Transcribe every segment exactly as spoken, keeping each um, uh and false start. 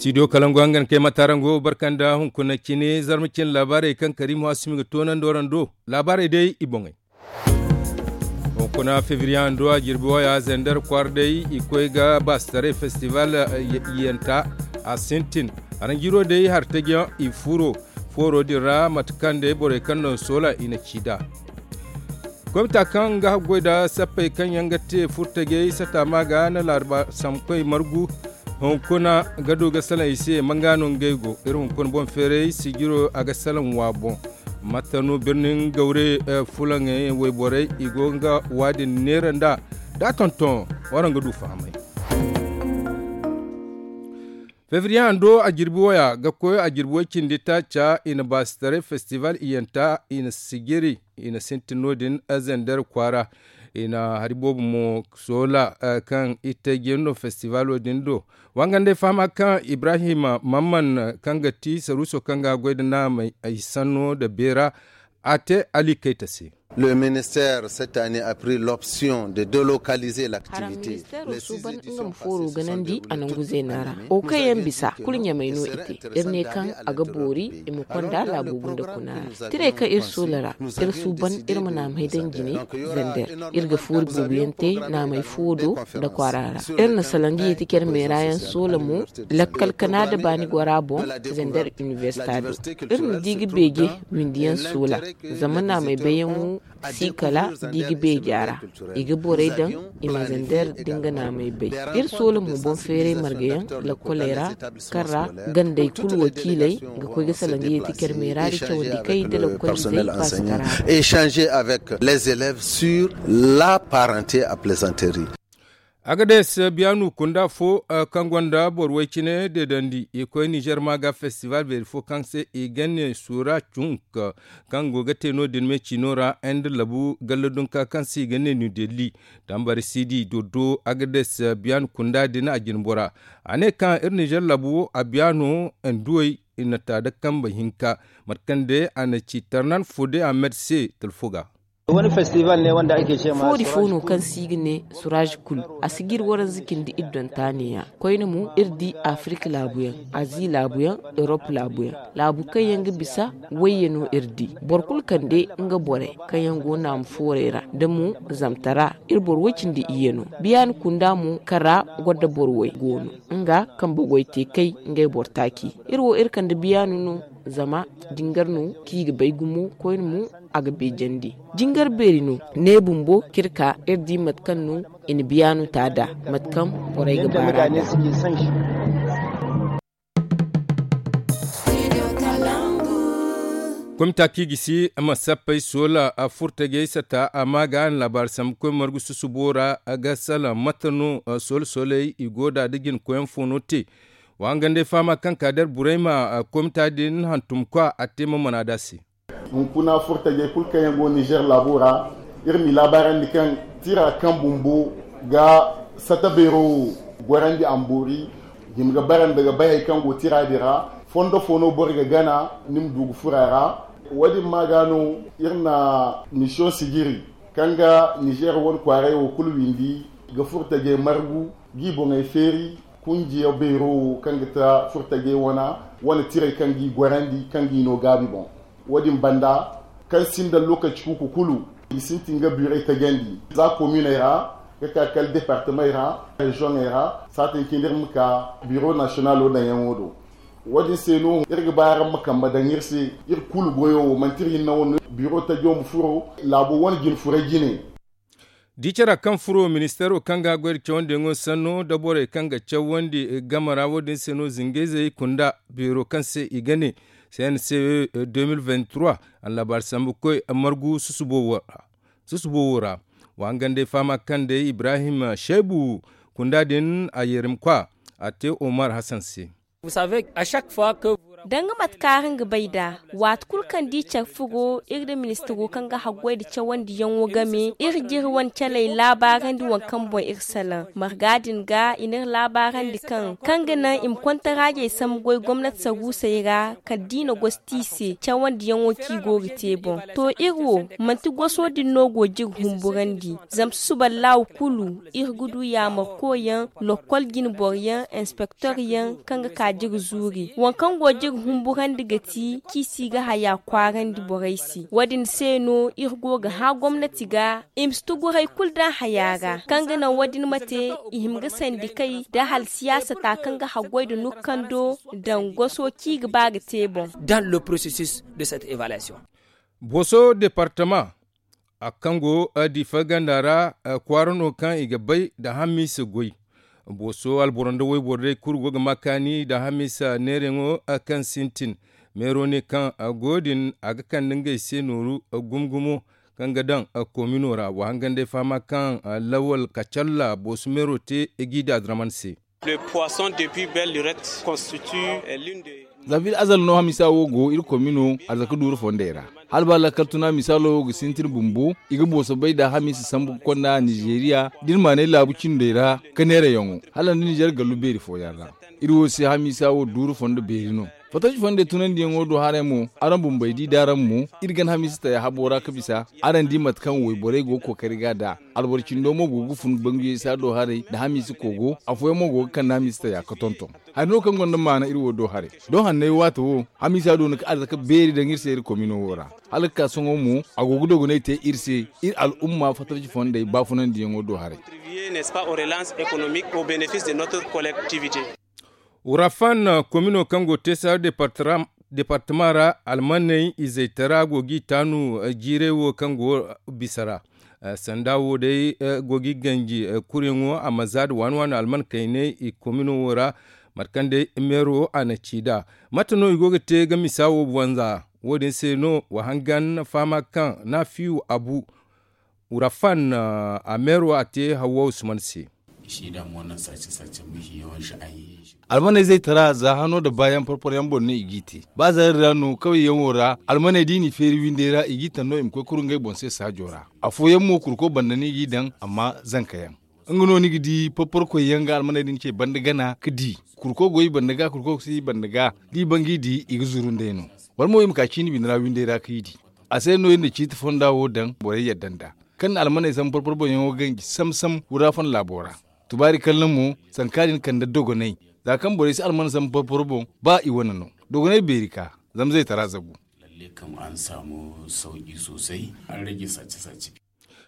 Studio kalangu hangan kay matarango barkanda hunkuna cine zarma cine laabaarey kaŋ karimu hasumi ga toonandi warando. Laabaarey day i boŋey. Hunkuna febriye hando a jirbi waya zender kwaara day i koy ga baasitaray festival yanta a sintin. Aranjiro day hartajiyaŋ i furo fooro din ra mate kaŋ day borey kaŋ no soola i na ci nd'a. Komita kaŋ ga haggoy nda sappey kaŋ yaŋ ga te furtajey sata ma ga na laarba samkoy margu. Hunkuna ga du ga salaŋ i se manga no ngey go iri hunkuna boŋ feeray sijiro a ga salaŋ wa boŋ. Matta no birnin gawre fulaŋey wayborey i go nga waadin neera nda da tonton waraŋ ga du fahamay. Febriye hando a jirbi waya ga koy a jirbi way cindi taaca i na baasitaray festival iyanta i na sijiri i na sintin no- din zender kwaara. I na hari boobo mo soola kaŋ i te jendo festivalo din do. Wangandey fahama kaŋ ibrahim mamman kaŋ ga ti saruuso kaŋ ga goy nda naamey ay sanno nda beera a te ali kayta se. Le ministère cette année a pris l'option de délocaliser l'activité. Suuban nga ma fooro ganandi a nangu zeena ra wo kaŋ yaŋ bisa kulu ɲamay no i te. Iri ne kaŋ a ga boori i ma konda laabo gunda kuna ra. Tiray kaŋ iri soola ra iri suuban iri ma naamay daŋ jine. Zender iri ga foori boobo yaŋ te naamay fo do nda kwaara ra. Iri na salandiye ti care meera yaŋ soola mo lakkal kana nda baani gora boŋ. Zender inibersita do iri ma di ga beeje windiyaŋ soola. Zama naamay bayyaŋo si kala da i ga beeja ra. I ga borey daŋ i ma zender da nga naamey bay. Iri soola mo boŋ feeray margayaŋ lakkoley ra kaŋ ra gandey kulu wakiiley ga koy ga salandiye ti care meera da cawandi kay da lakkolizey paasitara. Échanger avec les élèves sur la parenté à plaisanterie. Agades biyaanu kunda fo kaŋ gonda boro way cine deedandi i koy nizer ma ga festival beeri fo kaŋ se i ga ne sura cunk kaŋ go ga te no- din me ciino ra inde labu galla dunka kaŋ se i ga ne niw delli. Tambari sidi doddo agades biyaanu kunda din a jinbora a ne kaŋ iri nizer labu a biyaano nduwey i na ta da kambe hinka mate kaŋ day a na ci tarnan fo day a med se talfo ga. Foori fo no kaŋ se i ga ne suraaz kul. A si ga iri waranza cindi iri donta neeya koyne mo iri di afirika laabuyaŋ, azi laabuyaŋ, erop laabuyaŋ. Laabu kaŋ yaŋ ga bisa wayye no iri di. Boro kulu kande nga borey kaŋ yaŋ go naamu foorey ra da mo zamtara. Iri boro way cindi iyye no. Biyaani kunda mo kaŋ ra goro nda boro way go no. Nga kambe goy te kay ngey boro taaci. Iri wo iri kande biyaani no. Zama jingar no kaŋ i ga bay gumo koyne mo a ga beejandi. Jingar beeri no ne bumbo kaŋ iri ka iri di mate kaŋ no i na biyaanu ta nd'a mate kaŋ borey ga baar'a nd'a. Komita kaŋ i gisi ma sappey soola a furtajey sata a ma ga a na laabaari sambu koy margu susubo ra. Ga salaŋ mate no soola sooley i go nd'a da jina koyyaŋ fo no te. Wa hangandey fahama kaŋ ka da iri burayma komita din hantumkwa a te ma mana nd'a se. Hunkuna furtajey kulu kaŋ yaŋ go nizer laabo ra iri m'i laabaarandi kaŋ tira kaŋ bumbo ga sata beero wo gorandi a ma boori. Hima ga bara nda ga bay hari kaŋ go tira din ra. Fondo fo no boro ga gana ni ma du ga furo a ra. Wo- din ma ga no iri na misiyoŋ sijiri kaŋ ga nizer wane kwaaray wo kulu windi ga furtajey margu g'i boŋey feeri. Kunjiya beero wo kaŋ ga ta furtajey wana wane tirey kaŋ g'i gorandi kaŋ g'i no gaabi boŋ. Wo- din banda kaŋ sinda lokaci kuuku kulu i sintin ga biirey tajandi za kominey ra ga ka kala departemey ra reziyoŋey ra saatin cindi iri ma ka biiro nasiyonalo daŋyaŋo do. Wo- din se no iri ga ba araŋ ma kambe daŋ iri se. Iri kulu goyo wo manti iri hinne wo no biiro tajo ma furo laabo wane jine furay jine. Di cara kaŋ furo ministeero kaŋ ga goy nda cawandiyaŋo sanno nda borey kaŋ ga cawandi game ra wo- din se no zingayzey kunda beero kaŋ se i ga ne cnce deux mille vingt trois. Allaabaari sambu koy margu susubo wo ra. Wa hangandey fahama kaŋ day ibrahim shaybu kunda din a yeerimkwa a te omar hassan se. Danga mate kaŋ araŋ ga bay nd'a, waati kulu kaŋ da i care furo iri nda ministiro kaŋ ga haggoy nda cawandiyaŋo game, iri ga iri wane caley laabaarandi waŋ kaŋ boŋ iri salaŋ. Marga din ga i n'iri laabaarandi kaŋ kaŋ ga naŋ i ma kontaraajey sambu goy gomnati saruusey ra, kala da i na gosti i se cawandiyaŋo kaŋ i go ga te boŋ. To, iri wo, manti goso din no go ga iri humburandi. Zama susuballahu kulu, iri ga du yaamarkoyaŋ, lokkol jinboroyaŋ, inspektoryaŋ kaŋ ga ka da iri zuuri. Waŋ kaŋ go ga iri humburandi ga ti kaŋ i si ga haya kwaarandi borey se. Wo-din se no iri go ga hã gomnati ga i ma si tuguray kulu daŋ haya ra kaŋ ga naŋ wo-din ma te i hima ga sandikey nda hala siyaasa ta kaŋ ga haggoy nda nurkando daŋ goso kaŋ i ga ba ga te boŋ. Dans le processus de cette évaluation. Boso departama a kaŋ go diifa ganda ra, kwaara no kaŋ i ga bay nda hamiisa goy. Booso alboro nda wayboro day kulu go ga ma kaani nda hamiisa neerayaŋo kaŋ sintin. Meero ne kaŋ go din a ga kande ngey se nooru gumo-gumo kaŋ ga daŋ komino ra wa hangan day fahama kaŋ lawal kacalla booso meero te gida draman se. Le poisson depuis belle lurette constitue l'une de. Za fil azal no hamiisa wo go iri komino arzaka duuru fondey ra. Hala ba lakkal tuna misaalo wo ga sintin bumbo i ga booso bay nda hamiisa sambu ga konda nizeeriya da iri maanay laabu cindey ra ka neerayaŋo hala nda nizeer gallu beeri fooyaŋ ra. Iri wo se hamiisa wo duuru fondo beeri no. Fattaci fondey tunandiyaŋo do haray mo araŋ bumbey di d'araŋ mo iri gana hamiisa taya habo ra ka bisa. Araŋ di mate kaŋ wayborey go ga kookari ga nd'a. Alboro cindo mo go ga fun banguyey se a do haray nda hamiisa kogo afooyaŋ mo go ga kande hamiisa taya ka tonton. Hari no kaŋ gonda maana iri wo do haray. Doŋ hanney waato wo hamiisa doona ka arzaka beeri daŋ iri se iri komino wo ra. Hala ga ka sohõ mo a go ga dogonay te iri se iri al'umma fattaci fondey baafunandiyaŋo do haray. Wurafan komino kaŋ go te saara departama ra almaney izey tara go g'i taanu jiiray wo kaŋ go bisa ra. Sanda wo day go g'i ganji kuryaŋo a ma za nda waani waani alman kayney i komino wo ra. Mate kaŋ day meero a na ci nd'a mate no i go ga te ga misa wo banza. Wo- din se no wa hangan fahama kaŋ naafiyu abu wurafan a meero a te hawwa usman se. Almaney zaytara za hano nda baayaŋ porporo yaŋ boŋ no i g'i te. Ba zaari ra no kawyaŋo ra almaney da i n'i feeri windey ra i g'i taŋ no i ma koy kuru ngey boŋ se saajo ra. Afooyaŋ mo kurko banda no i g'i daŋ amma zanka yaŋ. Nga no ni ga di porporo koy yaŋ ga almaney din ce banda gana ga di. Kurko go i banda ga kurko si i banda ga da i ban g'i di i ga zuru nd'ey no. Wala mo i ma ka ciini bine ra windey ra ka i di. A se no iri na ciiti fonda wo daŋ borey yadda nd'a. Kaŋ na almaney sambu porporo boŋ yaŋo ganji sam sam wura fon laabo ra. Tubaari kalla mo sanka din kande dogonay. Za kaŋ borey si alman sambu porporo boŋ ba i wane no. Dogonay beeri ka zama zaytara zagu.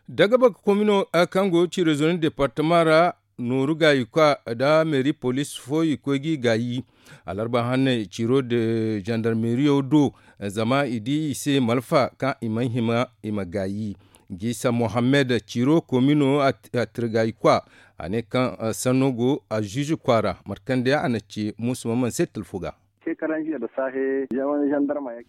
Dagabaka komino kaŋ go ciirezonin departama ra nooru gaayi kwa nda meeri poliis fo i koy g'i gaayi. Alarba hanney ciiro de zandarmeeriyo do zama i di i se malfa kaŋ i mana hima i ma gaayi. Jiisa mohammed ciiro komino a tirgaayi kwa a ne kaŋ sanno go a ziizi kwaara mate kaŋ day a na ci muusu maman se talfo ga.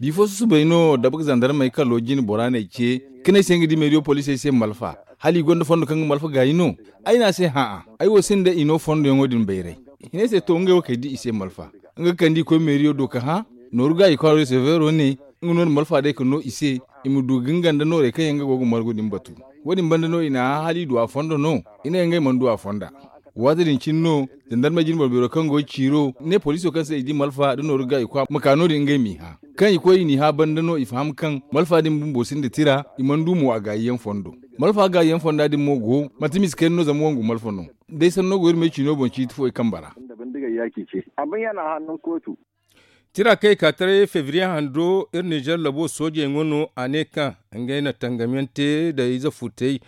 Bifo susubay no dabak zandarmey kalo jine bora n'ay ce ka ne ay se nga di meediyo poliisey se malfa hala i gonda fondo kaŋ ga malfa gaayi no. Ay ne a se hã'a ay wo sinda i no fondoyaŋo din bayray. Hinay se to ngey wo kay di i se malfa nga ga kande i koy meediyo do ka hã. Nooru gaayi kwaaro seveero ne nga no na malfa day ka no i se i ma du ga nga nda noorey kaŋ yaŋ nga go ga margu din batu. Wo- din banda no i n'a hã hala i du a fondo no i ne ngey mana du a fonda. Waati din cine no zandarmey jine boro beero kaŋ go ga ciiro ne poliiso kaŋ se i di malfa nda nooru ga i kwa ma ka no- din ngey m'i hã. Kaŋ i koy i n'i hã banda no i faham kaŋ malfa din bumbo sinda tira i mana du mo a gaayiyaŋ fondo. Malfa gaayiyaŋ fonda din mo go manti mise kayna no zama wangu malfa no. Day sanno go iri me ciino boŋ ciiti fo i kambe ra. Tira kaŋ i ka taray febriye hando iri nizer labo soojey ŋwa no a ne kaŋ ngey na tangamyaŋ te nda ize futey.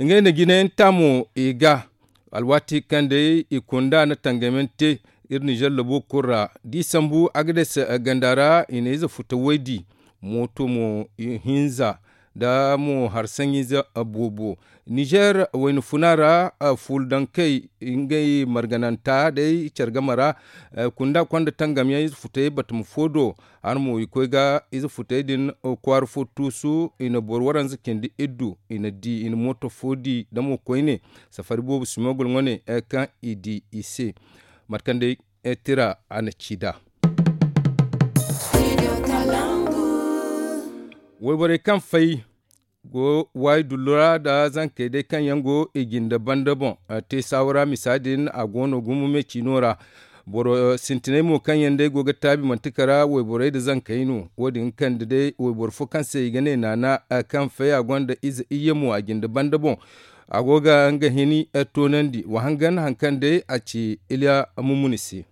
Ngey na jinayaŋ ta mo i ga alwaati kaŋ day i kunda na tangamyaŋ te iri nizer labo kulu ra da i sambu agades ganda ra i na ize futa waydi mooto mo hinza nda mo hari saŋiize boobo. Nizer wayna funa ra fuuldankey ngey margananta day care game ra kunda konda tangamyaŋ ize futey batama fo do. Hala mo i koy ga ize futey din kwaara fo tuusu i na boro waranza cindi iddu i na di i na mooto fo di nda mo koyne safari boobo simogol ŋwa ne kaŋ i di i se. Mate kaŋ day tira a na ci nd'a. Wayborey kaŋ fay go waayi dullu ra nda zankey day kaŋ yaŋ go i jinde banda boŋ te saawara misa din a go no gumo me ciino ra. Boro sintinay mo kaŋ yaŋ day go ga taabi manti kara wayborey nda zankey no. Wo- din kande day wayboro fo kaŋ se i ga ne naana kaŋ fay a gonda ize iyye mo a jinde banda boŋ. A go ga nga hini toonandi wa hangan hari kaŋ day a ci iliya mumuni se.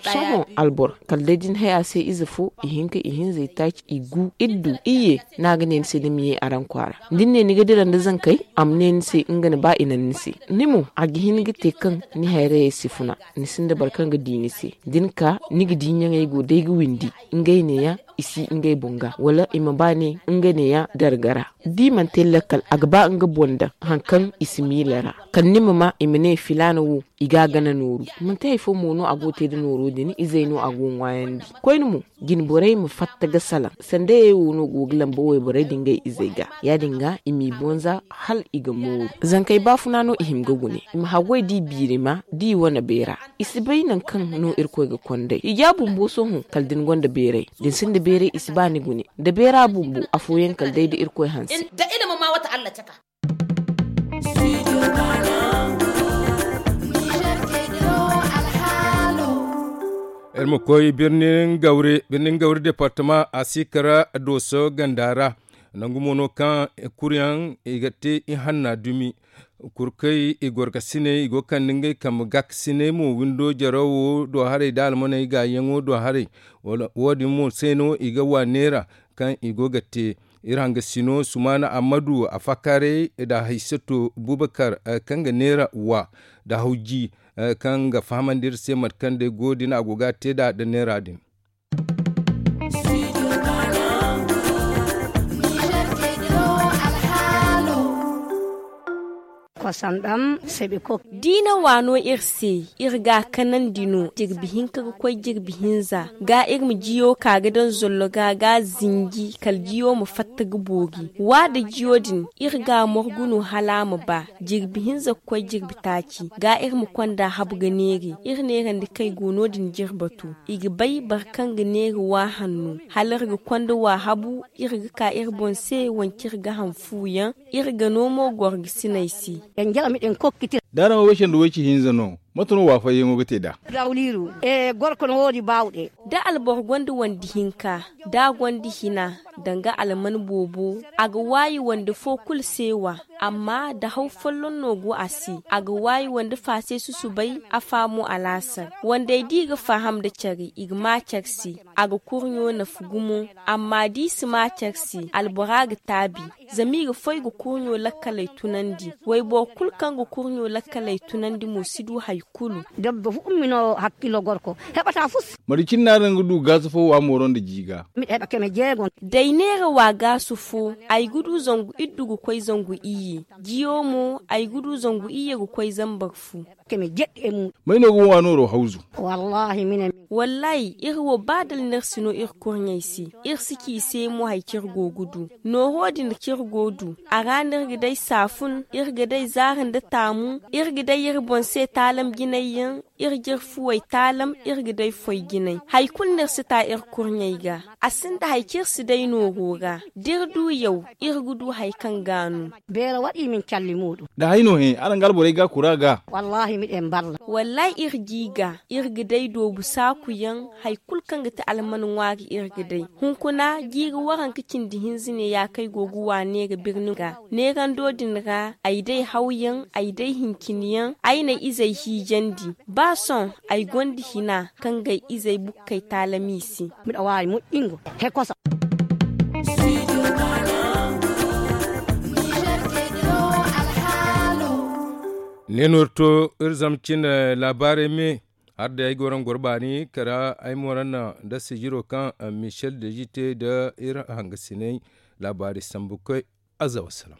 Sohõ alboro kala day da ni hay a se ize fo i hinka i hinza i taaci i gu iri du iyye. No a ga ne ni se ni ma ye araŋ kwaara da ni ne ni ga dira nda zankey a ma ne ni se nga ni ba i naŋ ni se. Ni mo a ga hin ga te kaŋ ni hayrayey si funa. Ni sinda boro kaŋ ga di ni se da ni ka ni ga di ɲaŋey go day ga windi ngey neeya i si ngey boŋ ga wala i ma ba ne nga neeya darga ra. Da i mana te lakkal a ga ba nga boŋ daŋ hari kaŋ i si miila ra kala ni ma ma i ma ne filaana wo i ga a gana nooru. Manti hari fo mo no a go ga te nda nooro din izey no a go ga ŋwaayandi koyne mo jine borey ma fatta ga salaŋ sandayey wo no go ga lamba wayborey nda ngey izey ga ya- din ga i m'i bonza hala i ga mooru. Zankey baafuna no i hima ga gune i ma haggoy da i biiri ma da i wane beera. I si bay nangu kaŋ no irkoy ga kond'ey i ja bumbo sohõ kala da ni gonda beeray da ni sinda beeray i si ba ni gune nda beera bumbo afooyaŋ kala day da irkoy hanse. Da ilima ma wata allah caka. Iri ma koy birnin gawri departama a si kara dooso ganda ra. Nangu mo no kaŋ kuryaŋ i ga te ihanna dumi kurkey i gorkasiney i go ga kande ngey kambe gaakasiney mo windo jarawo do haray nda almaney gaayaŋo do haray. Wo- din mo se no i ga wa neera kaŋ i go ga te. Iri hangasino sumaana ammadu a faakaaray nda haysato bubakar kaŋ ga neera wa nda hawji kaŋ ga fahamandi iri se mate kaŋ day go din a go ga a te nd'a nda neera din. Diina waano iri se. Iri ga a kanandi no jirbi hinka ga koy jirbi hinza ga iri ma jiyo ka ga daŋ zollo ga ga a zinji kala jiyo ma fatta ga boori. Wa nda jiyo din iri ga a morgu no hala a ma ba. Jirbi hinza ga koy jirbi taaci ga iri ma konda habu ga neeri iri neerandi kaŋ ay go no- din jirbatu. I ga bay boro kaŋ ga neeri wa hanno hala iri ga konda wa habu. Iri ga ka iri boŋ se wance iri ga han fu yaŋ. Iri ga no mo gorgasiney se. Da araŋ wo way cindi way ci hinza no mate no waafayyaŋo ga te nd'a? Da alboro gonda wande hinka da a gonda hina danga alman boobo a ga waayi wande fo kulu se wa. Amma da haw folloŋ no go a se a ga waayi wande fa se susubay. Afa mo alaasar wandey da i ga faham nda care i ga ma care se. A ga kurɲo nafa gumo. Amma da i si ma care se albora ga taabi. Zama i ga foy ga kurɲo lakkaley tunandi. Wayboro kulu kaŋ ga kurɲo lakkaley tunandi mo si du hari kulu. Dabba fu ummi no hakkilo gorko. Heɓata fu si. Mate cine no araŋ ga du gaasu fo wa mooro nda ji ga? Day neera wa gaasu fo ay ga du zangu iddu ga koy zangu iyye. Jiyo mo ay ga du zangu iyye ga koy zambar fu. May no ga wa nooro hawzu? Wallaahi iri wo ba dala no iri si no iri kurɲey se. Iri si ci i se mo hari kaŋ iri go ga du. Nooho din kaŋ iri go ga du a ra no iri ga day saafun iri ga day zaari nda taamu. Iri ga day iri boŋ se taalam jinay yaŋ. Iri jire fuwey taalam iri ga day foy jinay hari kulu no iri si ta iri kurɲey ga. A sinda hari kaŋ iri si day nooro ra da iri du yaw iri ga du hari kaŋ ga no. Beera waɗi min calli muuɗum. Da hay no he araŋ ga alborey ga kura ga. Wallaahi iri ga day doobu saaku yaŋ. Hari kulu kaŋ ga ti alman ŋwaari iri ga day. Hunkuna jiiri waranka cindi hinza ne ya kaŋ ay go ga wa neera birni ga. Neerando din ra ay day hawyaŋ ay day hinciniyaŋ ay n'ay izey hiijandi. Ba sohõ ay gonda hina kaŋ ga ay izey bukkey taalami se. Ne no iri to iri zama cine laabaarey me. Hala day ay go raŋ goro baani kala ay mo raŋ naŋ nda sijiro kaŋ michel deji te nda iri hangasiney. Laabaari sambu koy. Azza wassalam.